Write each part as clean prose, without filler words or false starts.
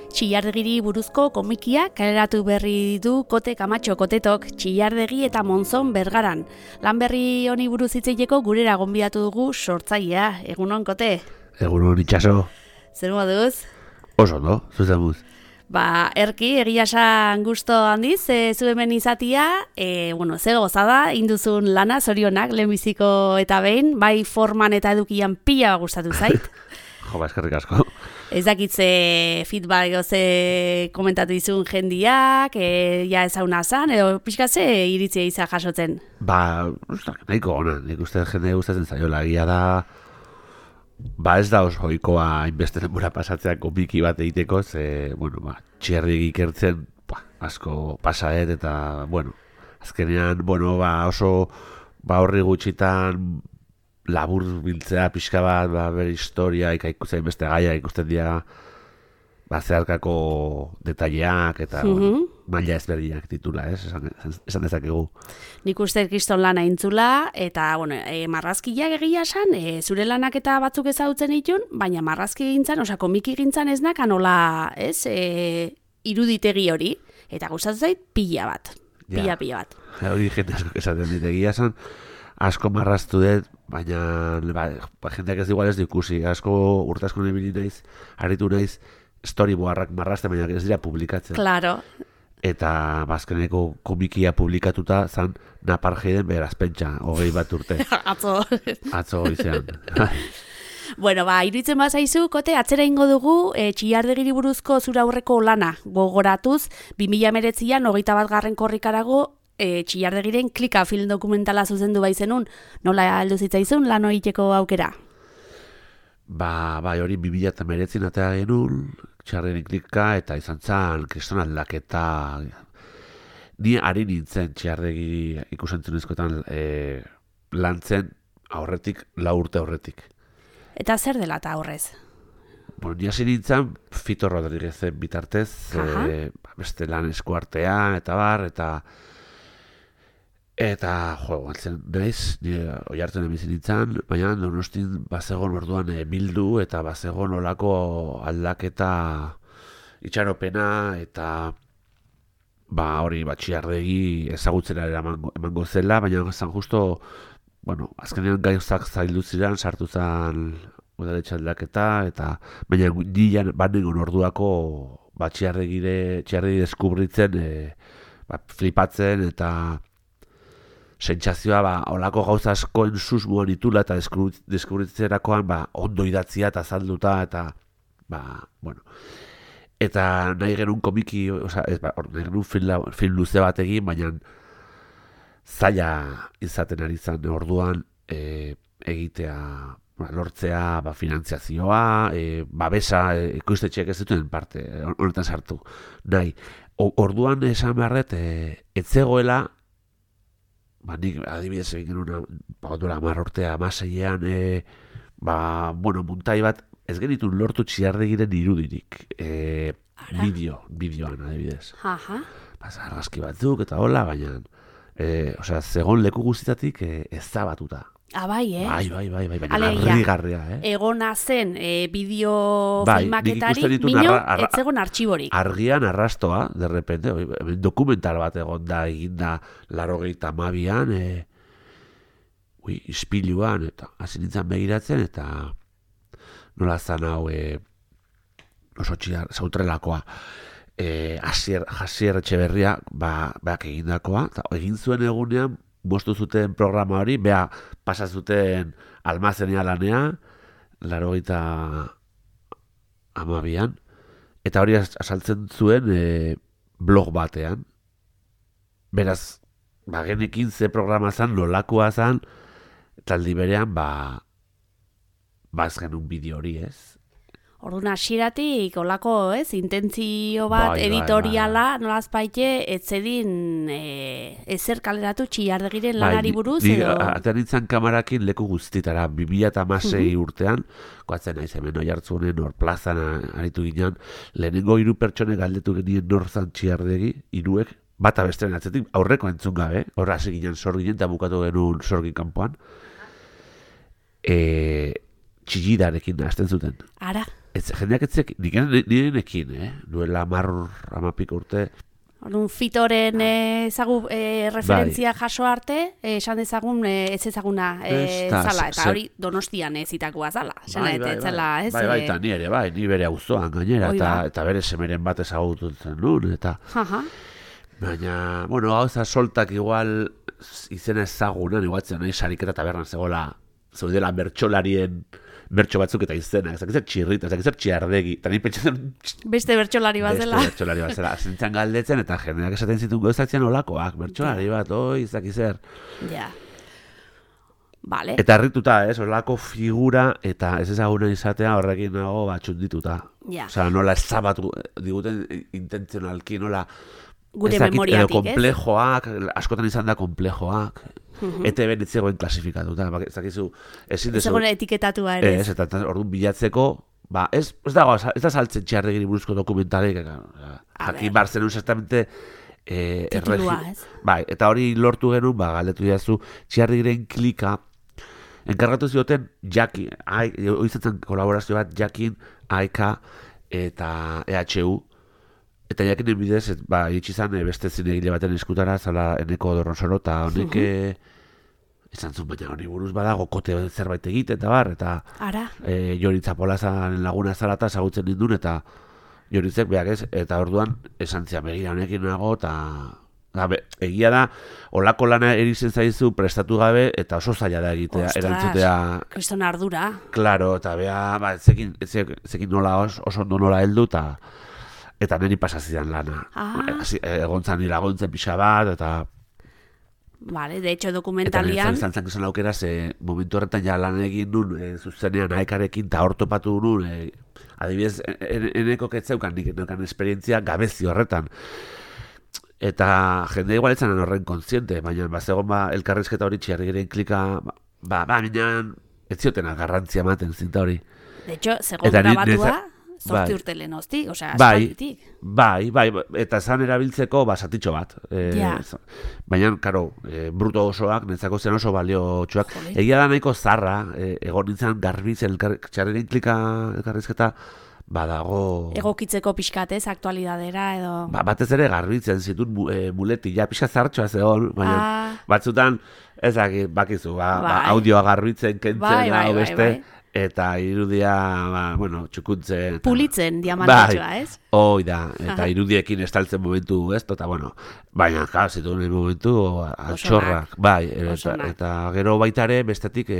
Txillardegiri buruzko komikia kaleratu berri du Kote Kamatxo Kotetok Txillardegi eta Monzon Bergaran. Lan berri honi buruz hitz egiteko gurera gonbidatu dugu sortzailea. Egunon, Kote? Egunon, itxaso. Zer moduz? Oso, no? Zuzen muz. Erki, egia esan gusto handiz, zu hemen izatia, ze gozada, induzun lana, zorionak, lehenbiziko eta behin, bai forman eta edukian pila gustatu zait. Jo, eskerrik asko. Ez dakitze feedback ze komentatu izun jendiak, ja ezauna zan, edo pixkatze iritzia izan jasotzen? Nahiko ona, nik uste jende gustatzen zaiola, egia da, ez da oso ohikoa hainbeste denbora pasatzea komiki bat egiteko, txerrik ikertzen asko pasaet eta, azkenean, oso horri gutxitan labur biltzea pixka bat, bere historia, ikusten beste gaia, ikusten dira zeharkako detaileak eta maila ezberdinak titula, esan dezakegu. Nik uste kriston lana intzula, eta marrazkiak egia esan, zure lanak eta batzuk ezagutzen ditun, baina marrazki gintzan, komiki gintzan ez nakan nola, iruditegi hori, eta gustatu zait pila bat. Pila bat. Hori jende asko esaten dit egia esan, asko marraztu dut, baina jendeak ez igual ez ikusi, asko urtasko nebili naiz, aritu naiz, storyboardak marrazte, baina ez dira publikatzen. Claro. Eta bazkeneko komikia publikatuta zan Naparjeden beraz pentsa, 21 urte. Atzo izan. Iruditzen bazaizu, Kote, atzera ingo dugu, Txillardegiri buruzko zura aurreko lana gogoratuz, 2019an 21. korrikarago, Txillardegiren Klika film dokumentala zuzendu baizenun, nola heldu zitzaizun lan egiteko aukera? Hori 2019 atea genuen, Txillardegiren Klika, eta izan zan kriston aldaketa. Ni ari nintzen Txillardegiri ikusentzunezkoetan lantzen aurretik, 4 urte aurretik. Eta zer dela eta aurrez? Ni hasi nintzen Fito Rodriguezen bitartez, beste lan eskuartean, eta galtzen naiz, oi hartzen emizin nintzen, baina Donostin bazegon orduan bildu eta bazegon olako aldaketa itxaropena eta Txillardegi ezagutzera emango zela, baina zan justo, azkenean gauzak zaildu ziren, sartu zen udaletxe aldaketa, eta baina nian banegon orduako Txillardegi deskubritzen, flipatzen eta sentsazioa olako gauza askoen susmoan itula eta deskubritzerakoan ondo idatzia eta azalduta eta eta nahi genuen komiki, nahi genuen film luze bat egin, baina zaila izaten ari zen orduan egitea, lortzea finantziazioa, babesa, ikuistetxeak ez dituen parte, honetan sartu nahi. Orduan esan beharret, etzegoela, nik adibidez egin genuen duela 10 urtea, 16an, muntai bat, ez genitun lortu Txillardegiren irudirik, bideoan adibidez. Argazki batzuk eta hola, baina, zegoen leku guztitatik ezabatuta. Bai, baina harrigarria, Egona zen bideo filmaketari, minio, ez zegoen artxiborik. Argian arrastoa, derrepente, dokumental bat egon da, eginda 82an, ispiluan, eta hasi nintzen begiratzen, eta nola zan hau oso zautrelakoa. Hasier Etxeberria egindakoa, egin zuen egunean, bostu zuten programa hori, pasazuten almazenea lanea, 82an, eta hori asaltzen zuen blog batean. Beraz, genekin ze programa zan, nolakoa zan, taldi berean, ez genuen bideo hori, ez? Orduan hasieratik olako, intentzio bat editoriala, nolaz baite, etzedin ezer kaleratu Txillardegiren lanari buruz, edo? Atean nintzen kamarakin leku guztitara, 2006 urtean, koatzen naiz hemen oi hartzunen, hor plazan aritu ginen, lehenengo 3 pertsone galdetu genien norzan Txillardegi, 3 bata bestean atzetik, aurreko entzun gabe, hor hasi ginen sorginen, eta bukatu genuen sorgin kanpoan, txillidarekin hasten zuten. Ara? jendeak etzek, nirenekin, duela 10 urte. Orduan, Fitoren referentzia jaso arte, esan dezagun ez ezaguna zala, eta hori Donostian zitakoa zala. Bai, eta ni ere, ni bere auzoan gainera, eta bere semeren bat ezagututzen nuen, eta... Baina, bueno, gauza soltak igual izena ezagunan, iguatzen nahi sariketa tabernan zeudela bertsolarien bertso batzuk eta izena, ez dakizzer txirrita, ez dakizzer txiardegi, eta nahi pentsatzen... Beste bertsolari bat zela. Beste bertsolari bat zela, zintzen galdetzen, eta jendeak esaten zituen gauzatzen olakoak, bertsolari bat, ez dakizzer. Ja. Vale. Eta harrituta, olako figura, eta ez ezaguna izatea horrekin nago txundituta. Ja. Osea, nola ezabatu diguten intentzionalki, nola... Gure memoriatik, edo komplejoak, askotan izan da komplejoak, eta ben etzegoen klasifikatuta, ez dakizu, ezin dezu... Ezegoen etiketatua ere. Ez, eta orduan bilatzeko, ez da saltzen Txiardegiri buruzko dokumentalik, jakin bar zenun zertamente... Titulua, ez? Bai, eta hori lortu genuen, galdetu jazu, Txiardegiren klika, enkargatu zioten Jakin, oizatzen kolaborazio bat Jakin, Aika eta EHU, eta jakinen bidez, itxizan beste zinegile baten eskutara, zala Eneko Dorronsoro, eta honek izan zuen, baina honi buruz badago kote zerbait egite, eta bar, eta Joritza Polazan laguna zala eta ezagutzen nindun, eta Joritzek behak ez, eta orduan esan zian begira honekin nago, eta egia da, olako lana erizen zaizu prestatu gabe, eta oso zaila da egitea, erantzutea... Kriston ardura. Claro, eta beha, zekin nola oso ondo nola heldu, eta niri pasazidan lana. Egontzan iragontzen pixa bat, eta... Vale, de hecho, dokumentalian... Eta nintzen izan aukera, momentu horretan ja lan egin nun, zuzenean Aikarekin, eta hor topatu nun, adibidez, eneko ketzeukan, nik enokan esperientzia gabezi horretan. Eta jende igualetzen horren kontziente, baina bazegon elkarrizketa hori Txiardegiren klika, minean, ez zioten garrantzia ematen zinta hori. De hecho, segon grabatua... Zortzi urte lehen hozti, osea, aspalditik. Bai, eta zan erabiltzeko zatitxo bat. Baina, karo, bruto osoak, netzako zen oso baliotxoak. Egia da nahiko zarra, egon nintzen garbiz, Txiardegiren klika elkarrizketa, badago... Egokitzeko pixkatez, aktualidadera edo... Batez ere garbitzen zituen muletila, pixka zartxoa zegoen, baina batzutan, ezak, bakizu, audioa garbitzen, kentzen, beste... Eta irudia, txukuntzen... Pulitzen, diamantatxoa, ez? Hoi da, eta irudiekin estaltzen momentu, ez? Eta, baina, zituen momentu, altxorrak, eta gero baitare, bestetik,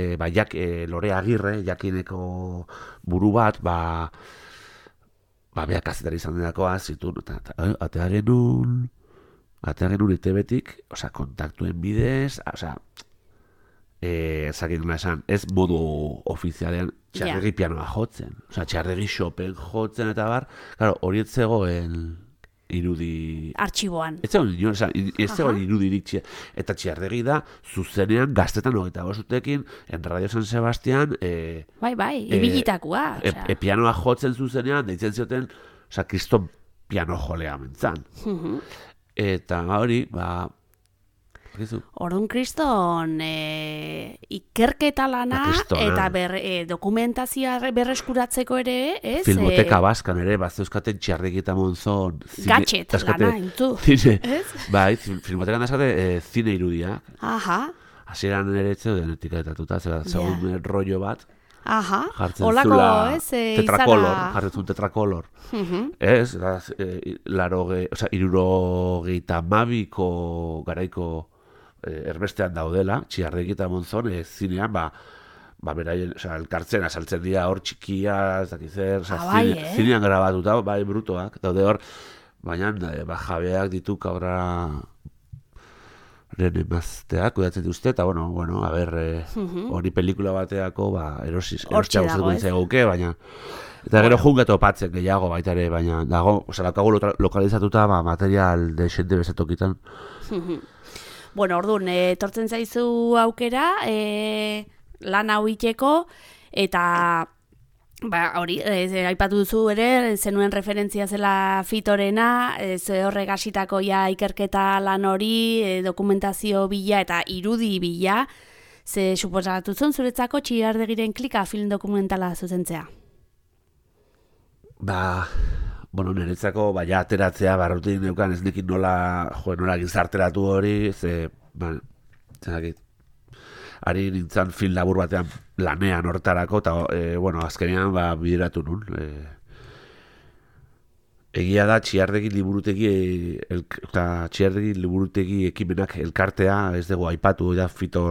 Lore Agirre, Jakineko buru bat, beha kazetari izan denakoa, zituen, eta atearen un itebetik, kontaktuen bidez, zakin duna esan, ez modu ofizialean Txiardegi pianoa jotzen, Txiardegi Chopin jotzen eta bar, hori ez zegoen irudi... Artxiboan. Ez zegoen irudi iritxe, eta Txiardegi da zuzenean gaztetan 25 urtekin, en Radio San Sebastián... ibilitakoa. Pianoa jotzen zuzenean, deitzen zioten, kriston piano jolea mentzan. Eta hori, Orduan kriston ikerketa lana eta dokumentazioa berreskuratzeko ere, ez? Filmoteka Baskan ere, zeuzkaten Txiardegi eta Monzon... Gatxet lana, intu. Bai, filmotekan dazkate zine irudiak. Hasieran ere etzeuden etiketatuta, zegoen rollo bat. Jartzen zula tetrakolor. Ez, 72ko garaiko erbestean daudela, Txiardegi eta Monzon, zinean, beraien, elkartzen azaltzen dira hor txikia, ez dakizzer, zinean grabatuta, brutoak, daude hor, baina jabeak ditu kabra emazteak, kudatzen duzte, eta hori pelikula bateako, erostia guztetu ditzaguke, baina eta gero junga topatzen gehiago baita ere, baina dago, lakago lokalizatuta material de xente bezatokitan. Orduan, etortzen zaizu aukera, lan hau iteko, eta hori, aipatu duzu ere, zenuen referentzia zela Fitorena, ze horrek hasitako ikerketa lan hori, dokumentazio bila eta irudi bila, ze suposatu zuen zuretzako Txiardegiren klika film dokumentala zuzentzea? Bueno, niretzako, ja, ateratzea, barrutin neukan ez nekin nola gizarteratu hori, ari nintzen film labur batean lanean hortarako, eta, bueno, azkenean, bideratu nun. Egia da, Txiardegi liburutegi ekimenak elkartea, ez dugu aipatu, da, Fito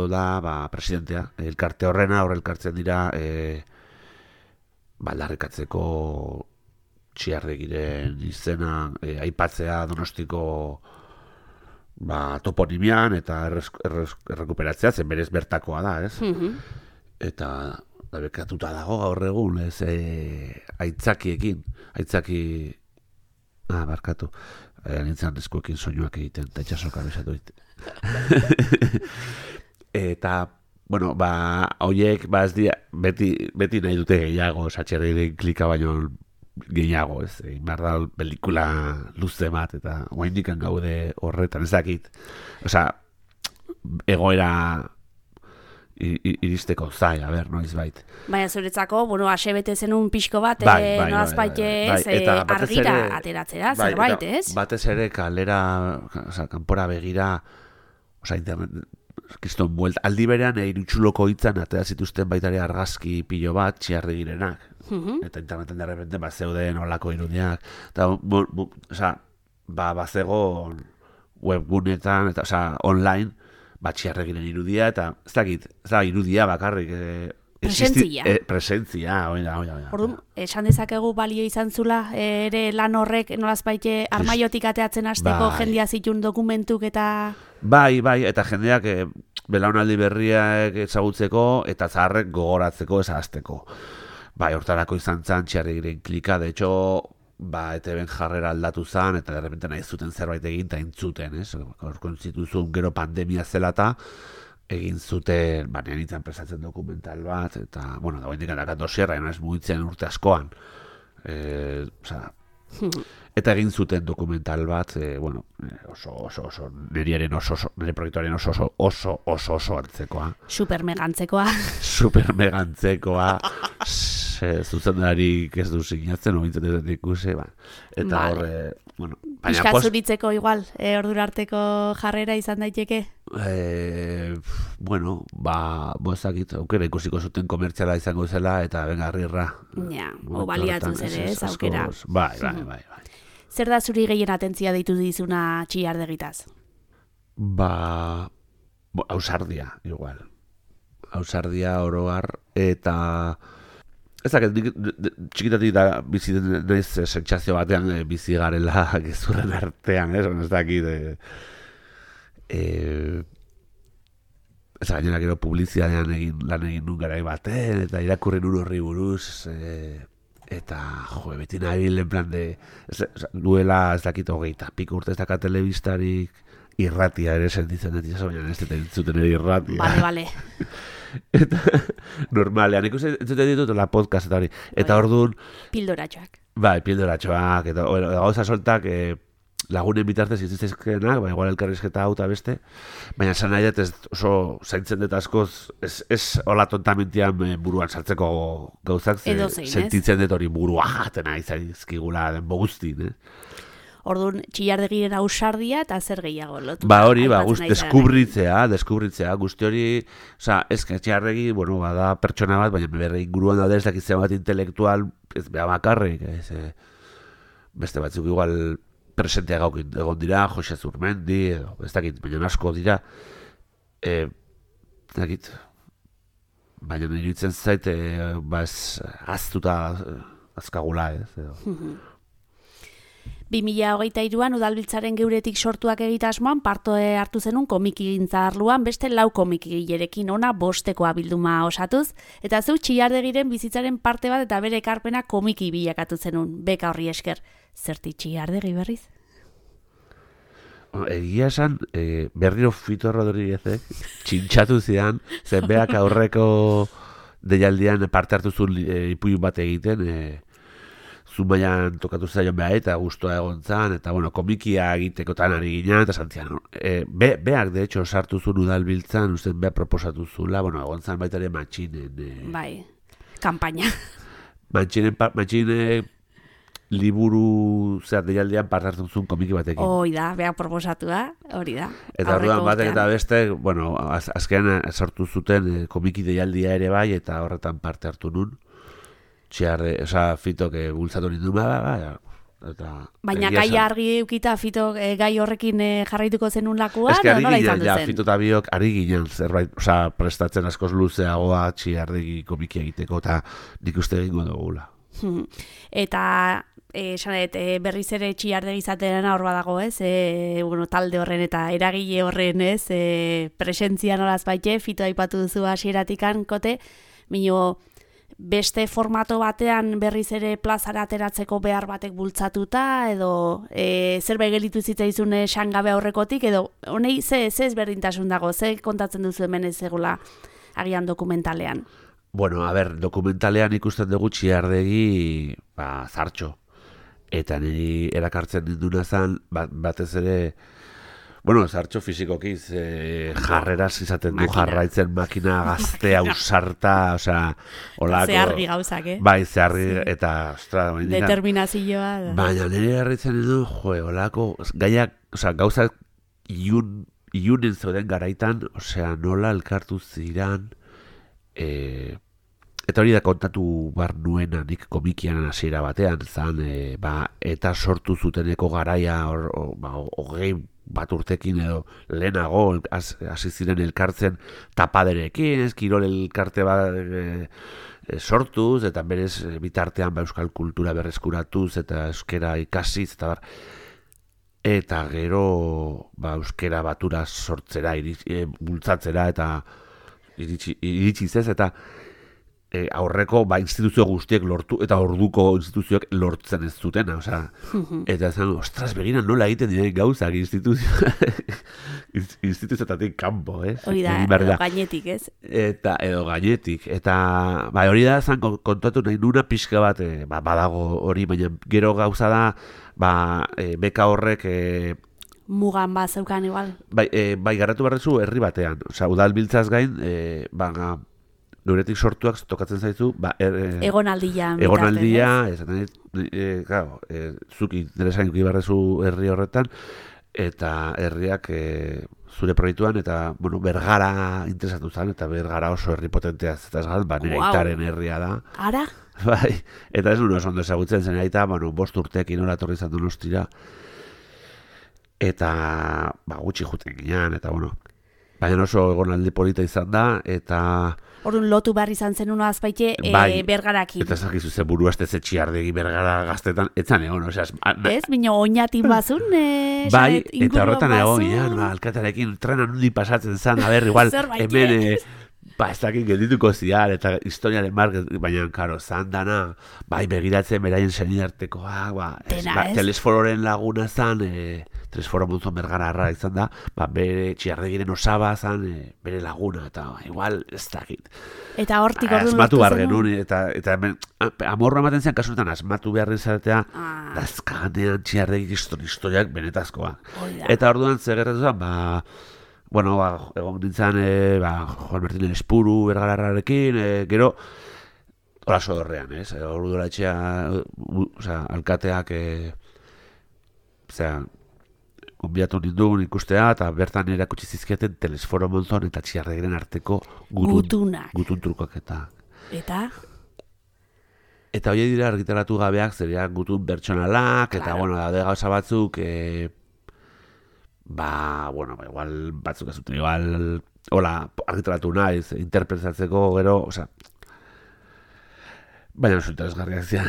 da, presidentea, elkarte horrena, elkartzen dira, aldarrikatzeko Txiardegiren izena aipatzea Donostiko toponimian eta errekuperatzea, zen berez bertakoa da, ez? Eta bekatuta dago gaur egun, ez, aitzakiekin, barkatu, nintzen eskuekin soinuak egiten, eta itxasoka besatu dit. Eta, bueno, horiek, ez dira, beti nahi dute gehiago, Txiardegiren klika baino gehiago, ez, behar da pelikula luze bat, eta oraindikan gaude horretan, ez dakit, egoera iristeko zai, noiz bait. Baina zuretzako, bueno, asebete zenun pixko bat, nolazbait argira ateratzera, zerbait, ez? Batez ere kalera, kanpora begira, internet, kriston buelta, aldi berean irutxuloko hitzan atera zituzten baitare argazki pilo bat, Txiardegirenak, eta interneten derrepente zeuden olako irudiak, eta, bazegon webgunetan, eta, online, Txiardegiren irudia, eta ez dakit, irudia bakarrik, presentzia, oida. Orduan, esan dezakegu balio izan zula, ere lan horrek nolazbait armaiotik ateatzen hasteko jendia zitun dokumentuk eta... Bai, eta jendeak belaunaldi berriak ezagutzeko eta zaharrek gogoratzeko ezazteko. Hortarako izan zan Txiardegiren klika, de hecho, ETB-en jarrera aldatu zan, eta derrepente nahi zuten zerbait egin, eta intzuten, ez? Horko zituzun gero pandemia zelata, egin zuten, nintzen prestatzen dokumental bat, eta, bueno, da guendik adakat dosierra, ez mugitzen urte askoan. Eta egin zuten dokumental bat, bueno, nire proiektuaren oso hartzekoa. Supermegantzekoa. Zuzendari ez du sinatzen, ointzen ez dut ikusi, eta horre, bueno... Piskazuritzeko igual, ordura arteko jarrera izan daiteke? Bueno, bozakit, aukera ikusiko zuten komertziala izango zela, eta bengarrirra. Ja, baliatu ere ez, aukera. Bai. Zer da zuri gehien atentzia deitu dizuna Txiardegitaz? Ausardia, igual. Ausardia, oroar, eta... Ez dakit, txikitatik da bizi naiz sentsazio batean bizi garela gezurren artean, ez dakit... Ez gainera gero publizitatean lan egin nun garai baten, eta irakurri nun horri buruz, eta, beti nabil, en plan de... Duela, ez dakit, 20 piko urte ez daka telebistarik, irratia ere sentitzen dut, baina ez dut entzuten ere irratia. Bale. Eta, normalean, ikusten ditut la podcast eta hori. Eta orduan... Pildoratxoak. Pildoratxoak, eta gauza soltak lagunen bitartez izizizkenak, igual elkarrizketa hau eta beste, baina esan nahi dut oso zaintzen dut askoz, ez hola tontamentian buruan sartzeko gauzak, sentitzen dut hori burua jatena izaizkigula den boguztin, Orduan, Txiardegiren ausardia eta zer gehiago lotu. Hori, deskubritzea, guzti hori, ez que Txiardegi, bueno, bada pertsona bat, baina berre inguruan daude ez dakitzen bat intelektual, ez beha bakarrik, beste batzuk igual presentea gaukin egon dira, Jose Zurmendi, ez dakit, baina asko dira, ez dakit, baina niruditzen zait, aztuta azkagula, ez, 2023an Udalbiltzaren geuretik sortuak egitasmoan parte hartu zenun komikigintza arloan beste 4 komikigilerekin ona 5 bilduma osatuz, eta zuk Txiardegiren bizitzaren parte bat eta bere ekarpena komiki bilakatu zenun, beka horri esker. Zerti Txiardegi berriz? Egia esan, berriro Fito Rodríguezek txintxatu zidan, zenbeak aurreko deialdian parte hartu zuen ipuin bat egiten, Zumaian tokatu zaion beha eta guztua egon zan, eta bueno, komikia egitekotan ari ginen, eta santzian. Beak, de hecho, sartu zuen Udalbiltzan, usten beha proposatu zula, bueno, egon zan baita ere matxinen. Kampaina. Mantxine liburu deialdean parte hartzen zuen komiki batekin. Hoi da, behar proposatua, hori da. Eta orduan batek eta beste, bueno, azkenean sortu zuten komiki deialdia ere bai, eta horretan parte hartu nun. Fitok bultzatu nindun, eta... Baina gai argi eukita Fito gai horrekin jarraituko zenun lakuan, nola izan duzen? Fito eta biok ari ginen zerbait, prestatzen askoz luzeagoa txiardegi komiki egiteko, eta nik uste egingo dugula. Eta berriz ere txiardegi izatean hor badago, ez? Talde horren eta eragile horren, ez? Presentzia nolaz baite, Fito aipatu duzu hasieratikan, kote, mino beste formato batean berriz ere plazara ateratzeko behar batek bultzatuta, edo zerbait gelitu zitzaizun sangabe aurrekotik, edo honei ze ezberdintasun dago, ze kontatzen duzu hemen ez egula agian dokumentalean? Bueno, dokumentalean ikusten dugu txiardegi zartxo. Eta niri erakartzen dinduna zen, batez ere, zartxo fizikoki jarreraz izaten du jarraitzen makina gaztea usarta, olako... Zehargi gauzak, Bai, zehargi, eta... Determinazioa. Baina niri garritzen du, olako, gaiak, gauzak iunen zeuden garaitan, nola elkartu ziran... Eta hori da kontatu bar nuena nik komikian hasiera batean, zan, eta sortu zuteneko garaia hogei bat urtekin edo lehenago hasi ziren elkartzen tapaderekin, kirol elkarte bat sortuz, eta berez bitartean euskal kultura berreskuratuz, eta euskera ikasiz, eta gero euskera batura sortzera, bultzatzera, eta iritsi zez, eta aurreko instituzio guztiek lortu eta orduko instituzioek lortzen ez zutena, eta zan, ostras, beginan nola egiten diren gauzak instituzioetatik kanpo, ez? Hori da, edo gainetik, ez? Edo gainetik, eta hori da zan kontatu nahi nuna pixka bat badago hori, baina gero gauza da beka horrek mugan bat zeukan igual. Bai, garratu barrezu herri batean, udal biltzaz gain, Nuretik sortuak tokatzen zaizu, egonaldia, zuk interesain ibarrezu herri horretan, eta herriak zure proiektuan, eta Bergara interesatu zen, eta Bergara oso herri potentea zetaz gal, nire aitaren herria da. Ara? Bai, eta ez nuen oso ondo ezagutzen zen aita, 5 urteekin hola torri izan Donostira, eta gutxi juten ginean, eta baina oso egonaldi polita izan da, eta... Orduan lotu behar izan zen uno azpaite Bergarakin. Eta zakizu ze buru azte txiardegi Bergara gaztetan, etzan egon, ez, bino oinatin bazun, bai, eta horretan egon, alkatearekin trenan hundi pasatzen zan, igual, hemen, ez dakit geldituko ziar, eta historiaren market, baina, karo, zan dana, begiratzen beraien senidartekoa, telesfororen laguna zan, Telesforo Monzon Bergara arra izan da, bere txiardegiren osaba zan, bere laguna, eta igual ez dakit. Eta hortik orduan asmatu behar genuen, eta hemen, amorra ematen zen kasunetan, asmatu behar izatea, dazkaganean txiardegi historiak benetazkoa. Eta orduan zegerretu zen, egon nintzen, Juan Martín Espuru Bergararrarekin, gero, hola sodorrean, ez? Ordura etxea, alkateak, konbiatu nindun ikustea, eta bertan erakutsi zizkiaten Telesforo Monzon eta txiarregiren arteko gutun trukaketa. Eta? Eta hori dira argitaratu gabeak, zeriak gutun pertsonalak, eta, daude gauza batzuk, igual batzuk ez zuten, igual, argitaratu naiz, interpretatzeko, gero, baina oso interesgarriak zian.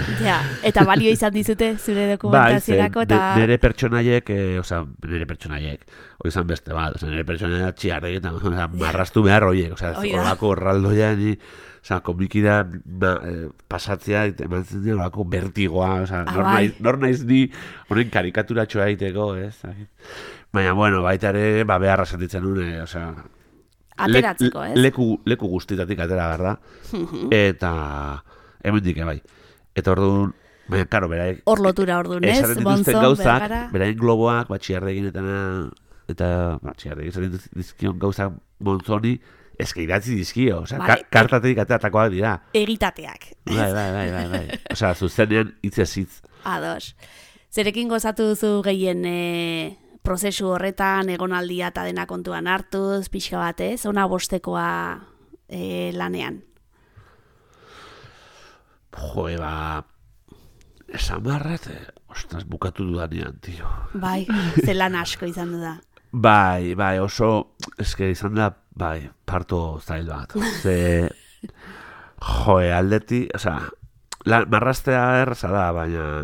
Eta balio izan dizute zure dokumentazionako, eta... Nire pertsonaiek, hori izan beste bat, nire pertsonaiek txiarrek, eta marrastu behar horiek, horako erraldoia, komikida pasatzea, eman zen dira, horako bertigoa, nor naiz ni honen karikaturatxoa egiteko, ez? Baina, baita ere, beharra sentitzen nuen, ateratzeko, ez? Leku guztitatik atera, berda? Eta... hemendik, bai. Eta orduan, baina, karo, beraik... Hor lotura orduan, ez? Monzon, Bergara... Beraik globoak, txiardegin eta txiardegin zaten dizkion gauzak Monzoni, eske idatzi dizkio, osea, Bai. kartatik ateatakoak dira. Egitateak. Bai. Osea, zuzenean hitzez hitz. Ados. Zerekin gozatu duzu gehien prozesu horretan, egonaldia eta dena kontuan hartuz, pixka batez, ona bostekoa lanean? Jo, esan barret, ostras, bukatu dudanean, tio. Bai, zelan asko izan du da. Bai, oso, eske izan da, bai, parto zail bat. Ze, aldeti, osea, marraztea erraza da, baina,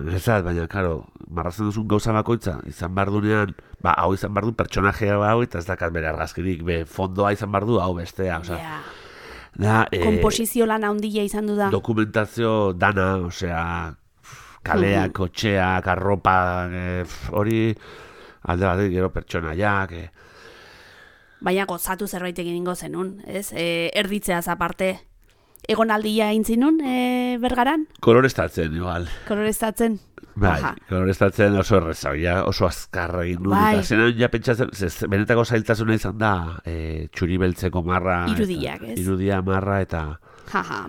karo, marrazten duzun gauza bakoitza, izan behar dunean, hau izan behar du pertsonajea hau, eta ez dakat bere argazkirik, fondoa izan behar du, hau bestea, osea. Yeah. Da, komposizio lan handia izan du da. Dokumentazio dana, osea, kaleak, kotxeak, arropa, hori alde bat gero pertsonaiak. Baina gozatu zerbait egingo zenun, ez? Erditzeaz aparte. Egonaldia intzinun, Bergaran? Koloreztatzen, igual. Koloreztatzen? Bai, koloreztatzen oso erreza, oso azkarra egin nuen. Bai. Eta zenan ja pentsatzen, benetako zailtasuna izan da, txuri beltzeko marra. Irudiak, ez? Irudia marra eta...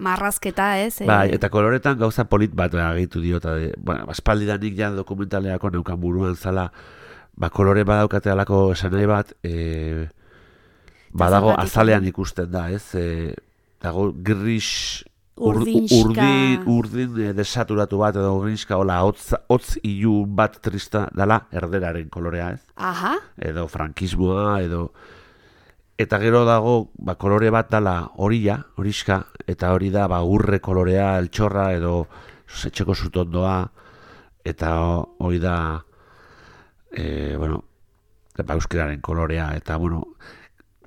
marrazketa, ez? Bai, eta koloretan gauza polit bat agitu dio, eta aspaldidanik ja dokumentaleako neukan buruan zala, kolore badaukate alako esan nahi bat, badago azalean ikusten da, ez? Dago gris urdin desaturatu bat edo grinska, hola, hotz ilun bat trista dala erderaren kolorea, ez? Aha. Edo frankismoa, eta gero dago kolore bat dala horiska, eta hori da urre kolorea, eltxorra edo etxeko zutondoa, eta hori da euskeraren kolorea, eta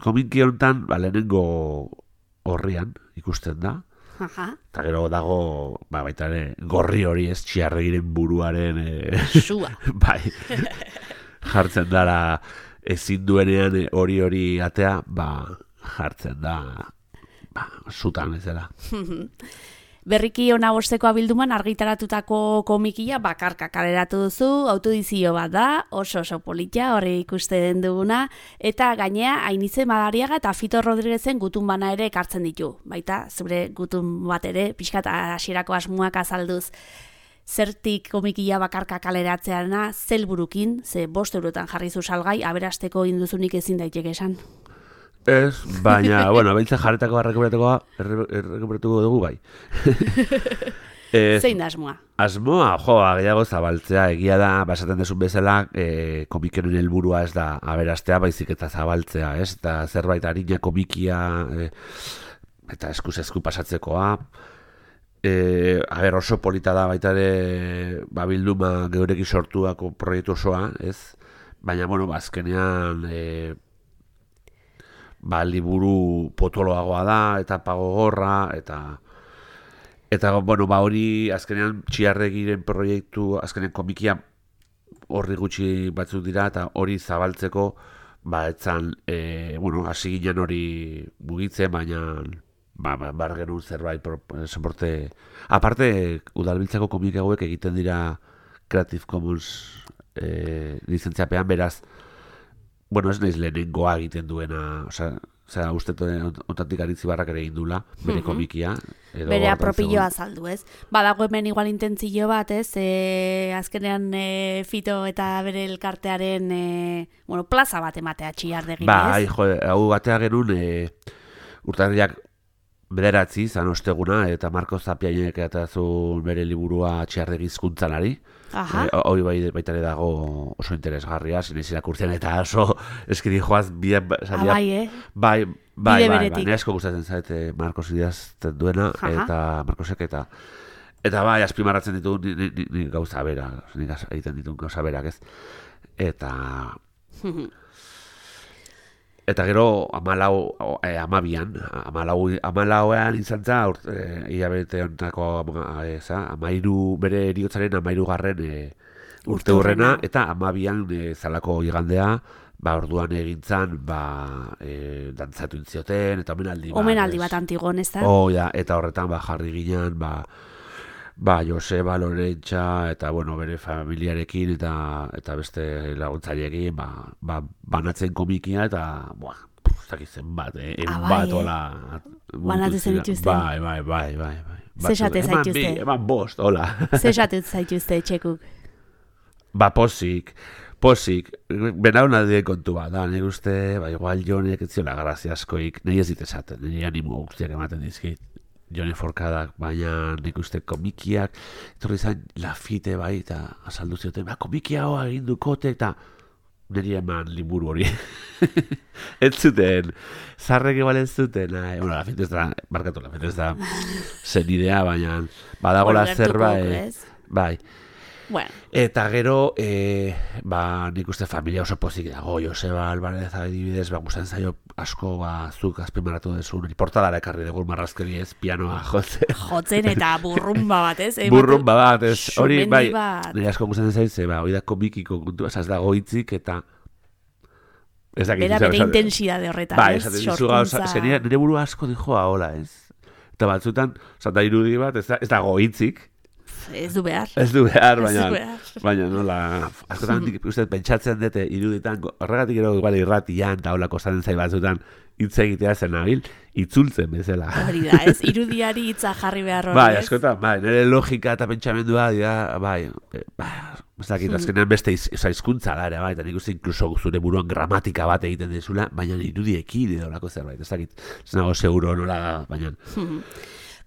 komiki honetan lehenengo horrian ikusten da. Eta gero dago baita ere gorri hori, ez, txiarregiren buruaren sua. Bai, jartzen dara ezin duenean hori atea, jartzen da zutan ez dela. Berriki ona bosteko abilduman argitaratutako komikia bakarka kaleratu duzu, autodizio bat da, oso polita, horre ikusten duguna, eta gainea Ainize Madariaga eta Fito Rodriguezen gutun bana ere ekartzen ditu. Baita, zure gutun bat ere, pixkat hasierako asmoak azalduz. Zertik komikia bakarka kaleratzeana, zelburukin, ze 5 eurotan jarri zu salgai, aberasteko induzunik ezin daiteke esan. Ez, baina, behintzen jarretako errekuperatuko dugu bai. Zein da asmoa? Asmoa, gehiago zabaltzea, egia da, basaten desun bezala, komikenen helburua ez da aberastea, baizik eta zabaltzea, ez? Eta zerbait harina komikia, eta esku pasatzekoa. Oso polita da baita ere, bilduma geureki sortuako proiektu osoa, ez? Baina, azkenean... liburu potoloagoa da, eta pagogorra, eta hori azkenean txiarregiren proiektu, azkenean komikia horri gutxi batzuk dira, eta hori zabaltzeko, etzan, hasi ginen hori mugitzen, baina bar genuen zerbait soporte. Aparte, udalbiltzako komik hauek egiten dira Creative Commons lizentziapean, beraz, ez naiz lehenengoa egiten duena, uste ontatik aritzi barrak ere indula, bere komikia. Bere apropilloa azaldu, ez? Badago hemen igual intentzio bat, ez? Azkenean Fito eta bere elkartearen plaza bat ematea txiardegin, ez? Hau batea genuen urtarriak 9 zan osteguna, eta Marko Zapiainek eta zu bere liburua txiardegi hizkuntzalari. Hoi baita ere dago oso interesgarria, zinez irakurtzen eta oso eskiri joaz bai, nesko gustatzen zaite Marcos idazten duena, eta Marcosek eta bai, azpimarratzen ditu ni gauza bera, nik egiten ditu gauza berak, ez? Eta gero 12an izan za, hilabete honetako 13, bere eriotzaren 13. Urte hurrena, eta 12an zalako igandea, orduan egintzan, dantzatu intzioten, eta omenaldi bat Antigon, ez da? Eta horretan jarri ginen, Joseba, Lorentxa, eta bere familiarekin eta beste laguntzaileekin banatzen komikia, eta zakitzen bat, bai, bat hola. Banatu zen dituzten. Bai. Zesate zaituzte. Eman bost, hola. Zesate zaituzte etxekuk. Ba, posik, benauna die kontu bat, da, nik uste, ba, igual Jonek ez ziola grazia askoik, nahi ez dit esaten, nire animo guztiak ematen dizkit, Jone Forkadak, baina nik uste komikiak, etorri zain Lafite bai, eta azaldu zioten, ba, komikia hoa egin dukote, eta niri eman liburu hori. Ez zuten, zarrek igual ez zuten, bueno, Lafite ez da, barkatu Lafite ez da, zen idea, baina, badagola zerbait, bai. Bueno. Eta gero, ba, nik uste familia oso pozik dago, Joseba Alvarez adibidez, ba, gustan zaio asko, ba, zuk azpimarratu dezu, portadara ekarri dugu marrazkeri ez, pianoa jotzen. Jotzen eta burrumba bat, ez? Burrumba bat, ez, hori, bai, nire asko gustan zaiz, ba, hori da komikiko kontu, ez dago hitzik, eta bera bere intensidade horretan, bai, ez? Sorkuntza. Nire buru asko dijoa, hola, ez? Eta batzutan, zata irudi bat, ez dago hitzik, Ez du behar, baina nola, askotan uste pentsatzen dute iruditan, horregatik gero igual irratian, eta holako zaten zai batzutan hitz egitea zen nabil, itzultzen bezala. Hori da, ez, irudiari hitza jarri behar hori, bai, askotan, bai, nire logika eta pentsamendua, bai, azkenean beste hizkuntza da ere, bai, eta nik uste inkluso zure buruan gramatika bat egiten dezula, baina irudiekin edo olako zerbait, ez dakit, ez nago seguro nola da, baina...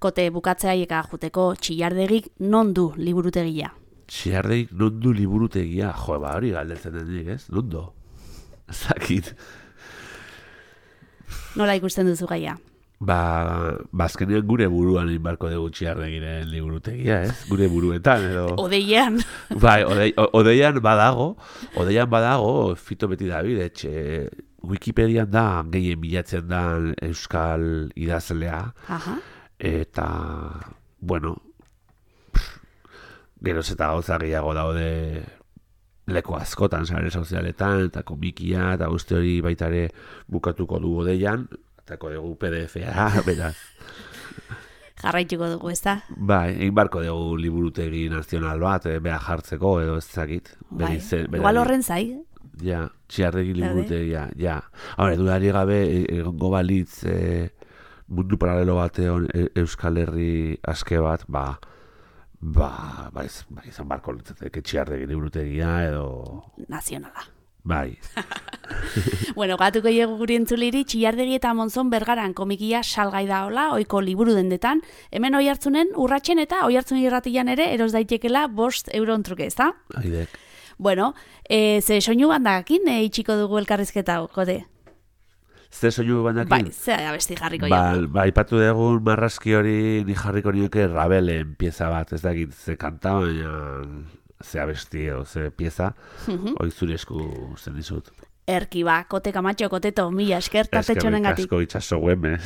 Kote bukatzaieka juteko Txillardegik non du liburutegia? Txillardegik non du liburutegia? Jo, ba hori galdetzen denik, ez? Non do? Zakit. Nola ikusten duzu gaia? Ba, azkenean gure buruan inbarko dugu Txillardegiren liburutegia, ez? Gure buruetan, edo... Odeian. Bai, odeian badago, Fito beti David, Wikipedian da, gehien bilatzen da euskal idazlea. Aha. Eta, bueno, geroz eta gauza gehiago daude leku askotan, sare sozialetan, eta komikia, eta guzti hori baitare bukatuko du odeian, eta dugu PDF-a, beraz. Jarraituko dugu, ez da? Bai, egin barko dugu liburutegi nazional bat, beha jartzeko, edo ez zakit. Bai, igual horren zai. Ja, Txillardegi liburutegia, ja. Hore, dudari gabe, egongo balitz... mundu paralelo batean Euskal Herri aske bat, izan barko litzateke Txillardegi liburutegia edo... Nazionala. Bai. Bueno, gatuko dugu guri entzuliri, Txillardegi eta Monzon Bergaran komikia salgai da hola, oiko liburu dendetan. Hemen Oiartzunen urratsen eta Oiartzun irratian ere eros daitekela 5 euron truke, ez da? Aidek. Bueno, ze soinu bandakin itxiko dugu elkarrizketa, kote? Ze soinu bandakin? Bai, ze abesti jarriko jago. Ba, ipatu dugun marrazki hori ni jarriko nioke Rabelen pieza bat, ez dakit, ze kanta, baina ze abesti edo ze pieza, hori zure esku zen dizut. Erki ba, kote Kamatxo, koteto, mila esker tartetxonen gatik. Asko itxaso guemez.